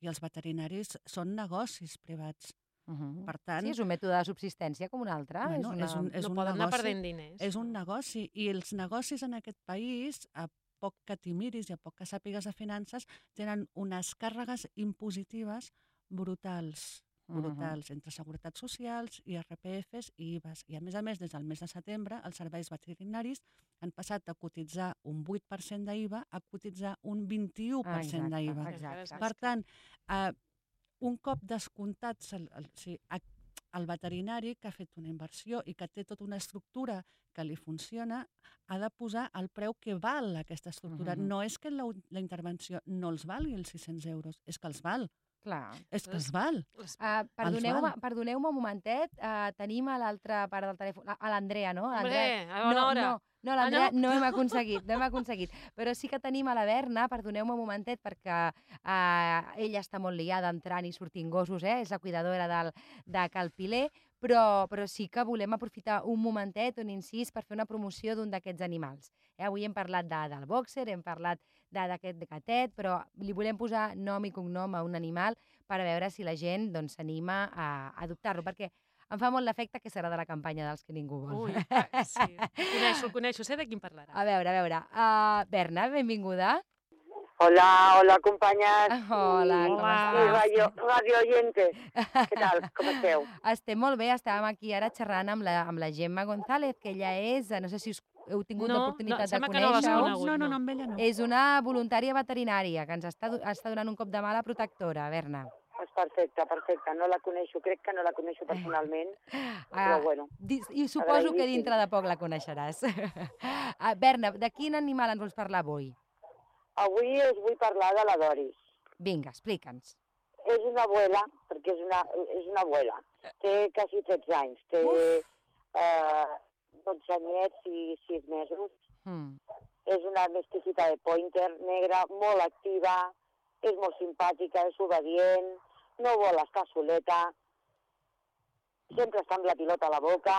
I els veterinaris són negocis privats. Per tant... Sí, és un mètode de subsistència com un altre. Bueno, No poden anar perdent diners. És un negoci, i els negocis en aquest país, a poc que t'hi miris i a poc que sàpigues de finances, tenen unes càrregues impositives brutals, entre seguretats socials, IRPFs i IVAs. I a més, des del mes de setembre, els serveis veterinaris han passat de cotitzar un 8% d'IVA a cotitzar un 21% d'IVA. Per tant, un cop descomptats el veterinari que ha fet una inversió i que té tota una estructura que li funciona, ha de posar el preu que val aquesta estructura. No és que la intervenció no els valgui els 600 euros, és que els val. Clar. És que els val. Perdoneu-me un momentet, tenim a l'altra part del telèfon, a l'Andrea, no? Hombre, a bona hora. No, l'Andrea no hem aconseguit. Però sí que tenim a la Berna, perdoneu-me un momentet, perquè ella està molt liada entrant i sortint gossos, és la cuidadora de Cal Piler, però sí que volem aprofitar un momentet, un incís, per fer una promoció d'un d'aquests animals. Avui hem parlat del bòxer, hem parlat d'aquest gatet, però li volem posar nom i cognom a un animal per a veure si la gent s'anima a adoptar-lo, perquè em fa molt l'efecte que serà de la campanya dels que ningú vol. Ui, sí. El coneixo, sé de quin parlarà. A veure. Berna, benvinguda. Hola, companyes. Hola, com estàs? Radio oyentes. Què tal? Com esteu? Estem molt bé, estàvem aquí ara xerrant amb la Gemma González, que ella és, no sé si heu tingut l'oportunitat de conèixer-ho. No, amb ella no. És una voluntària veterinària que ens està donant un cop de mà a la protectora, Berna. És perfecte. No la coneixo, crec que no la coneixo personalment, però bueno. I suposo que dintre de poc la coneixeràs. Berna, de quin animal ens vols parlar avui? Avui us vull parlar de la Doris. Vinga, explica'ns. És una abuela, perquè és una abuela. Té quasi 13 anys. Té 12 anyets i 6 mesos. És una mesticita de pointer negra, molt activa, és molt simpàtica, és obedient, no vol estar soleta, sempre està amb la pilota a la boca.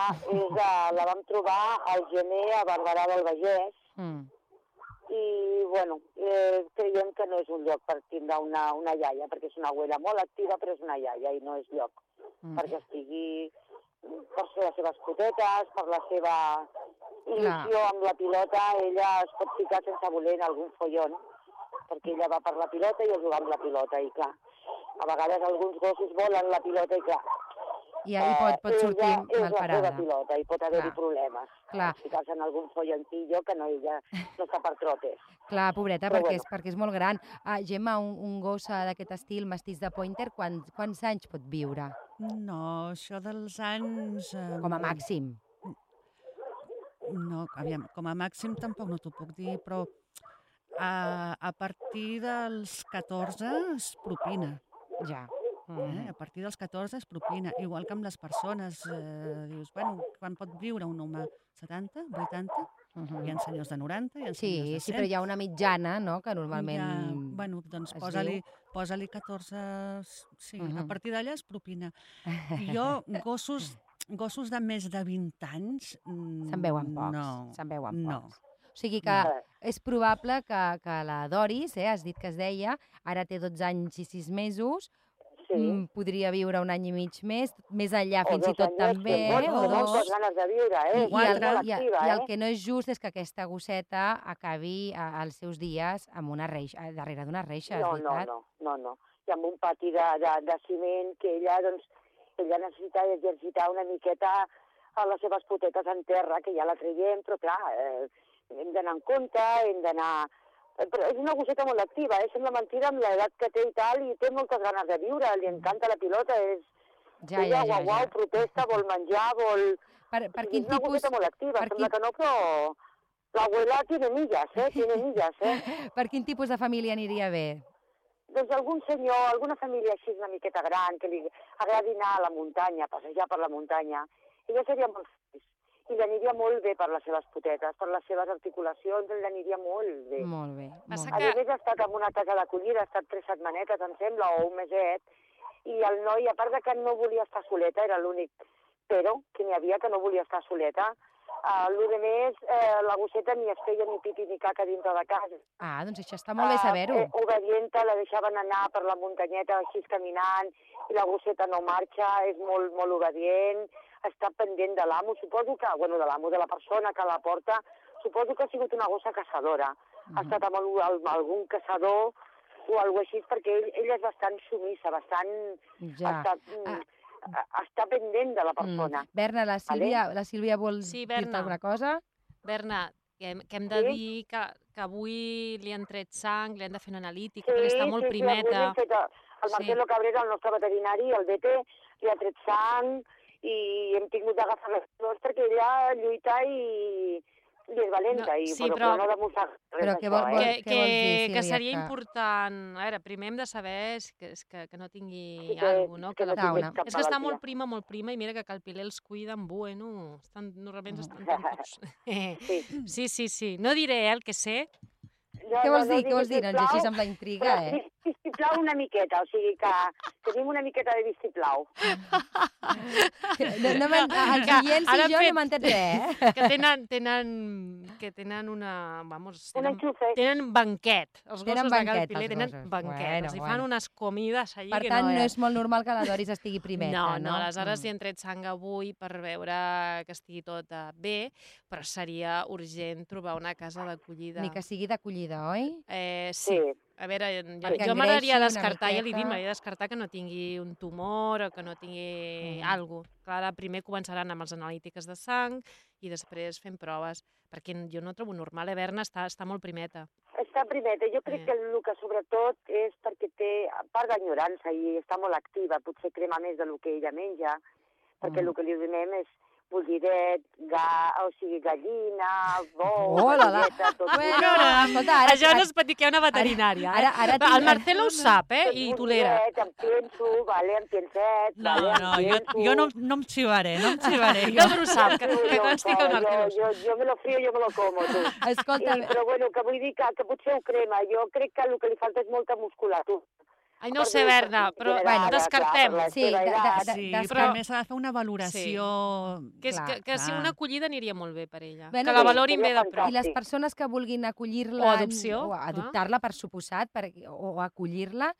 La vam trobar al gener a Barberà del Vallès. I, bueno, creiem que no és un lloc per tindre una iaia, perquè és una abuela molt activa, però és una iaia i no és lloc perquè estigui per les seves potetes, per la seva il·lusió amb la pilota. Ella es pot ficar sense voler en algun follon, perquè ella va per la pilota i es juga amb la pilota, i clar, a vegades alguns gossos volen la pilota i clar, i pot sortir mal parada. És la seva pilota i pot haver-hi problemes. Clar. Ficar-se en algun follantillo que ella no està per trotes. Clar, pobreta, perquè és molt gran. Gemma, un gos d'aquest estil, mestís de pointer, quants anys pot viure? No, això dels anys... Com a màxim. No, aviam, com a màxim tampoc no t'ho puc dir, però a partir dels 14 es propina. Ja. A partir dels 14 es propina, igual que amb les persones. Dius, bueno, quan pot viure un home? 70, 80? Hi ha senyors de 90, hi ha senyors de 100. Sí, però hi ha una mitjana, no?, que normalment... Bueno, doncs posa-li 14... Sí, a partir d'allà es propina. Jo, gossos de més de 20 anys... Se'n veuen pocs. No. Se'n veuen no. pocs. O sigui que és probable que la Doris, has dit que es deia, ara té 12 anys i 6 mesos, podria viure un any i mig més enllà fins i tot també, o dos. Moltes ganes de viure, I el que no és just és que aquesta gosseta acabi els seus dies amb una reixa, darrere d'una reixa, és veritat? No. I amb un pati de ciment que ella necessita exercitar una miqueta a les seves potetes en terra, que ja la traiem, però clar, hem d'anar en compte, hem d'anar... Però és una gosseta molt activa, sembla mentida amb l'edat que té i tal, i té moltes ganes de viure, li encanta la pilota, ella guau, protesta, vol menjar, vol... És una gosseta molt activa, sembla que no, però l'abuela tiene millas, Per quin tipus de família aniria bé? Doncs algun senyor, alguna família així una miqueta gran, que li agradi anar a la muntanya, passejar per la muntanya, ella seria molt feliç. I l'aniria molt bé per les seves potetes, per les seves articulacions, l'aniria molt bé. Molt bé. A més, ha estat en una casa d'acollida, ha estat 3 setmanetes, em sembla, o un meset, i el noi, a part de que no volia estar soleta, era l'únic però que n'hi havia que no volia estar soleta, Lo de més, la gosseta ni es feia ni pipi ni caca dintre de casa. Ah, doncs això està molt bé saber-ho. Obedienta, la deixaven anar per la muntanyeta així caminant i la gosseta no marxa, és molt, molt obedient, està pendent de l'amo, suposo que, bueno, de l'amo, de la persona que la porta, suposo que ha sigut una gossa caçadora. Ha estat amb algun caçador o alguna cosa així, perquè ella és bastant sumissa, bastant... Ja. Està pendent de la persona. Berna, la Sílvia vol dir-te alguna cosa? Berna, que hem de dir que avui li han tret sang, li han de fer una analítica, perquè està molt primeta. Sí, el Marcelo Cabrera, el nostre veterinari, el DT, li ha tret sang i hem tingut d'agafar les flors perquè ella lluita i és valenta, però no demostra res d'això. Què vols dir, Sílvia? Que seria important... A veure, primer hem de saber que no tingui alguna cosa. És que està molt prima, i mira que el Piler els cuida amb bueno. Normalment estan tan tots... Sí. No diré el que sé. Què vols dir? Doncs així amb la intriga, Vistiplau una miqueta, o sigui que tenim una miqueta de vistiplau. Els clients i jo no m'han entès res, Que tenen una... Tenen banquet. Els gossos de Cal Piler tenen banquet. Els fan unes comides allí que no... Per tant, no és molt normal que la Doris estigui primeta, no? No, aleshores li han tret sang avui per veure que estigui tot bé, però seria urgent trobar una casa d'acollida. Ni que sigui d'acollida, oi? Sí. A veure, jo m'agradaria descartar, ja li dic, m'agradaria descartar que no tingui un tumor o que no tingui alguna cosa. Clar, primer començaran amb les analítiques de sang i després fent proves, perquè jo no trobo normal, Berna està molt primeta. Està primeta, jo crec que el que sobretot és perquè té part d'enyorança i està molt activa, potser crema més del que ella menja, perquè el que li donem és bullidet, gallina, galleta, tot. Això no es pot dir que hi ha una veterinària. El Marcelo ho sap, i tolera. Em penso, em penset... Jo no em xivaré, No ho sap, que consti que el Marcelo ho sap. Jo me lo frío, jo me lo como, tu. Escolta... Però bueno, que vull dir que potser ho crema. Jo crec que el que li falta és molta musculatura. Ai, no ho sé, Berna, però descartem. Sí, però a més s'ha de fer una valoració... Que si una acollida aniria molt bé per ella, que la valorin bé de prop. I les persones que vulguin acollir-la... O adopció. O adoptar-la, per suposat, o acollir-la,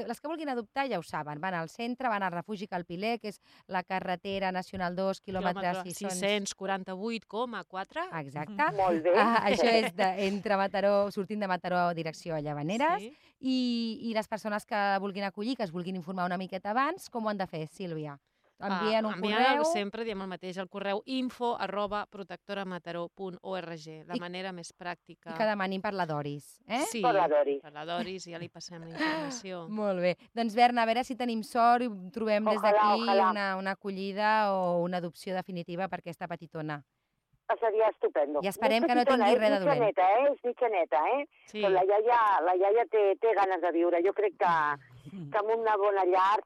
les que vulguin adoptar ja ho saben, van al centre, van al refugi Cal Piler, que és la carretera nacional 2, quilòmetres 648,4. Exacte. Molt bé. Això és entre Mataró, sortint de Mataró, direcció a Llavaneres, i les persones que vulguin acollir, que es vulguin informar una miqueta abans, com ho han de fer, Sílvia? Envien un correu... Sempre diem el mateix, el correu info@protectoramataró.org, la manera més pràctica. I que demanin per la Doris, Sí, per la Doris. Per la Doris, ja li passem la informació. Molt bé. Doncs, Berna, a veure si tenim sort i trobem des d'aquí una acollida o una adopció definitiva per aquesta petitona. Seria estupendo. I esperem que no tingui res de dolent. És mitjaneta, Sí. Però la iaia té ganes de viure. Jo crec que amb una bona llar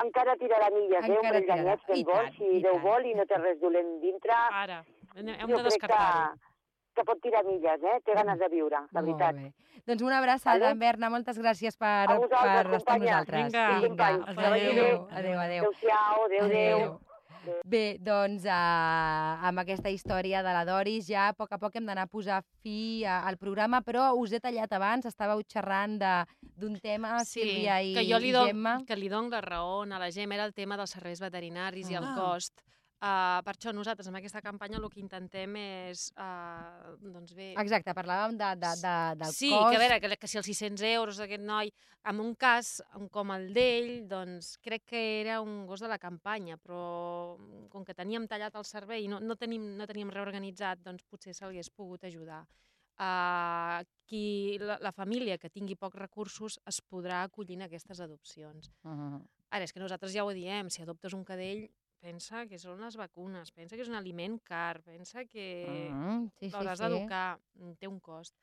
encara tirarà milles, un parell d'anyets ben bons, si Déu vol i no té res dolent dintre. Ara, hem de descartar-ho. Que pot tirar milles, Té ganes de viure, la veritat. Molt bé. Doncs una abraçada, Berna, moltes gràcies per estar amb nosaltres. Vinga, adéu. Adéu-siau, adéu. Bé, doncs amb aquesta història de la Doris ja a poc hem d'anar a posar fi al programa, però us he tallat abans, estàveu xerrant d'un tema, Sílvia i Gemma. Que li dono la raó a la Gemma, era el tema dels serveis veterinaris i el cost. Per això nosaltres amb aquesta campanya el que intentem és, doncs bé... Exacte, parlàvem del cost. Sí, que a veure, que si els 600 euros d'aquest noi, en un cas com el d'ell, doncs crec que era un gos de la campanya, però com que teníem tallat el servei i no teníem reorganitzat, doncs potser s'hagués pogut ajudar. La família que tingui pocs recursos es podrà acollir en aquestes adopcions. Ara, és que nosaltres ja ho diem, si adoptes un cadell, pensa que són les vacunes, pensa que és un aliment car, pensa que l'hauràs d'educar, té un cost.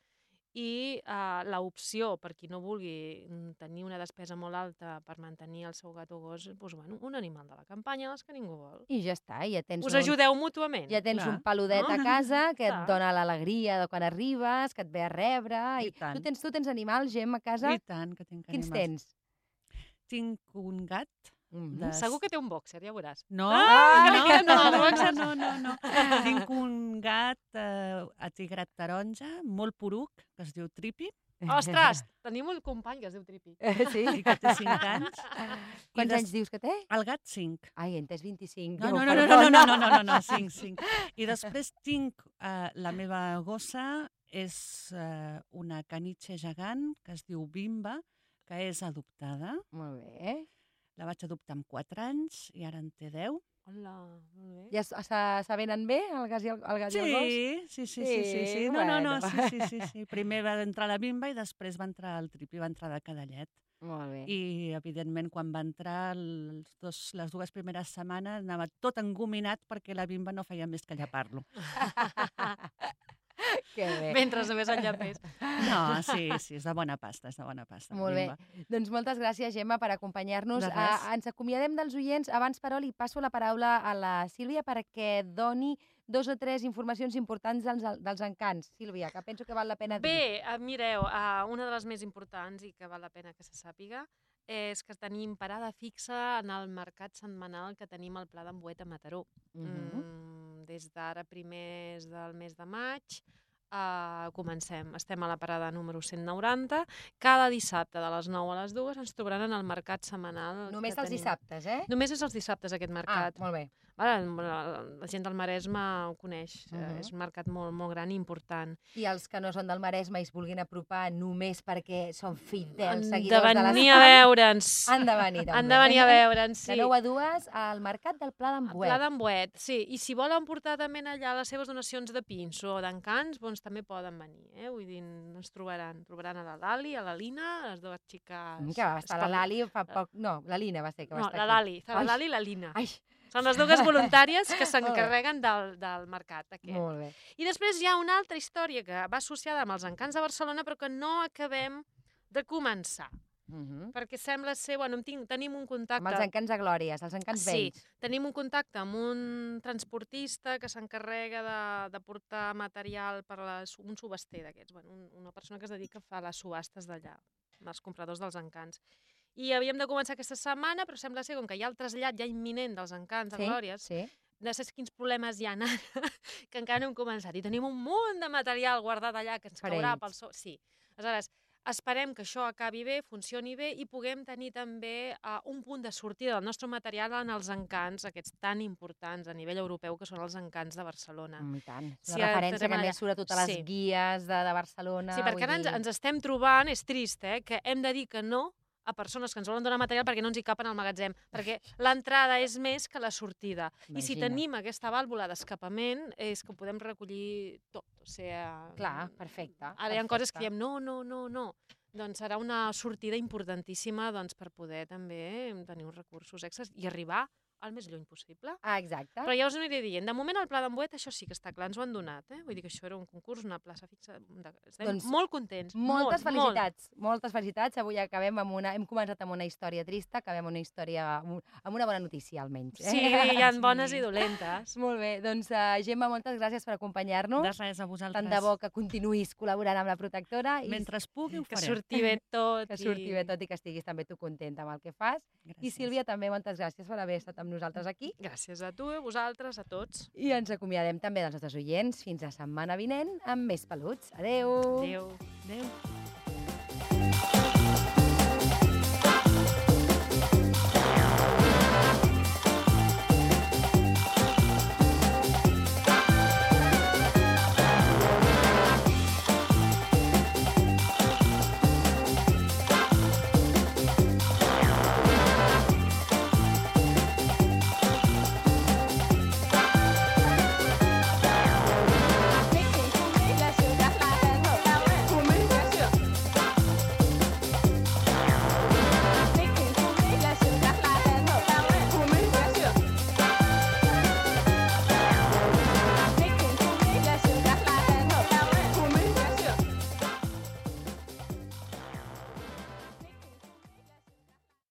I l'opció, per qui no vulgui tenir una despesa molt alta per mantenir el seu gat o gos, doncs, un animal de la campanya, dels que ningú vol. I ja està, ja tens... Us ajudeu mútuament. Ja tens un peludet a casa que et dona l'alegria de quan arribes, que et ve a rebre... Tu tens animals, Gem, a casa? I tant, que tinc animals. Quins tens? Tinc un gat Segur que té un bòxer, ja veuràs. No, no. Tinc un gat atigrat taronja, molt poruc, que es diu Tripi. Ostres, tenim un company que es diu Tripi. Sí? I que té 5 anys. Quants anys dius que té? El gat 5. Ai, he entès 25. No, 5. I després tinc la meva gossa, és una caniche gegant que es diu Bimba, que és adoptada. Molt bé. La vaig adoptar amb 4 anys i ara en té 10. Hola, molt bé. Ja s'avenen bé el gat i el gos? Sí. No, sí. Primer va entrar la Bimba i després va entrar el Tripi, va entrar de cadallet. Molt bé. I, evidentment, quan va entrar, les 2 primeres setmanes anava tot engominat perquè la Bimba no feia més que llepar-lo. Que bé. Mentre només el llapés. No, sí, és de bona pasta, Molt bé. Doncs moltes gràcies, Gemma, per acompanyar-nos. Ens acomiadem dels oients. Abans, però, li passo la paraula a la Sílvia perquè doni 2 o 3 informacions importants dels encants. Sílvia, que penso que val la pena dir. Bé, mireu, una de les més importants i que val la pena que se sàpiga és que tenim parada fixa en el mercat setmanal que tenim al Pla d'Ambuet a Mataró. Des d'ara primers del mes de maig comencem. Estem a la parada número 190. Cada dissabte de les 9 a les 2 ens trobaran en el mercat setmanal. Només els dissabtes, eh? Només és els dissabtes aquest mercat. Molt bé. La gent del Maresme ho coneix. És un mercat molt, molt gran i important. I els que no són del Maresme i es vulguin apropar només perquè són fidels seguidors de l'Estam, venir a veure'ns. Han de venir també. Han de venir a veure'ns, sí. De 9 a 2 al mercat del Pla d'Ambuet. Pla d'Ambuet, sí. I si volen portar també allà les seves donacions de pinso o d'encants, doncs també poden venir. Vull dir, ens trobaran. Trobaran a la Lali, a la Lina, les dues xiques... Que va estar la Lali fa poc... No, la Lina va ser que va estar aquí. No, la Lali i la Lina. Ai. Són les dues voluntàries que s'encarreguen del mercat aquest. Molt bé. I després hi ha una altra història que va associada amb els encants de Barcelona, però que no acabem de començar. Perquè sembla ser... Bueno, tenim un contacte... Amb els encants de Glòries, els encants vells. Sí, tenim un contacte amb un transportista que s'encarrega de portar material per un subhaster d'aquests. Bueno, una persona que es dedica a fer les subhastes d'allà, els compradors dels encants. I havíem de començar aquesta setmana, però sembla ser com que hi ha el trasllat ja imminent dels encants de Glòries. No sé quins problemes hi ha ara, que encara no hem començat. I tenim un munt de material guardat allà que ens caurà pel sol. Sí. Aleshores, esperem que això acabi bé, funcioni bé i puguem tenir també un punt de sortida del nostre material en els encants, aquests tan importants a nivell europeu que són els encants de Barcelona. I tant. La referència que més surt a totes les guies de Barcelona. Sí, perquè ara ens estem trobant, és trist, que hem de dir que no a persones que ens volen donar material perquè no ens hi capen al magatzem, perquè l'entrada és més que la sortida. I si tenim aquesta vàlvula d'escapament és que podem recollir tot. Clar, perfecte. Ara hi ha coses que diem no. Doncs serà una sortida importantíssima per poder també tenir uns recursos extras i arribar el més lluny possible. Exacte. Però ja us aniré dient. De moment, el Pla d'Ambuet, això sí que està clar, ens ho han donat. Vull dir que això era un concurs, una plaça fixa. Estem molt contents. Moltes felicitats. Moltes felicitats. Avui acabem hem començat amb una història trista, acabem amb una història amb una bona notícia, almenys. Sí, hi ha bones i dolentes. Molt bé. Doncs, Gemma, moltes gràcies per acompanyar-nos. De res, a vosaltres. Tant de bo que continuïs col·laborant amb la protectora. Mentre es pugui, ho farem. Que surti bé tot. Que surti bé tot i que estiguis també tu contenta amb el que fas. I Sílvia, també moltes gràcies per haver estat amb nosaltres aquí. Gràcies a tu, a vosaltres, a tots. I ens acomiadem també dels nostres oients fins la setmana vinent amb més peluts. Adéu! Adéu! Adéu!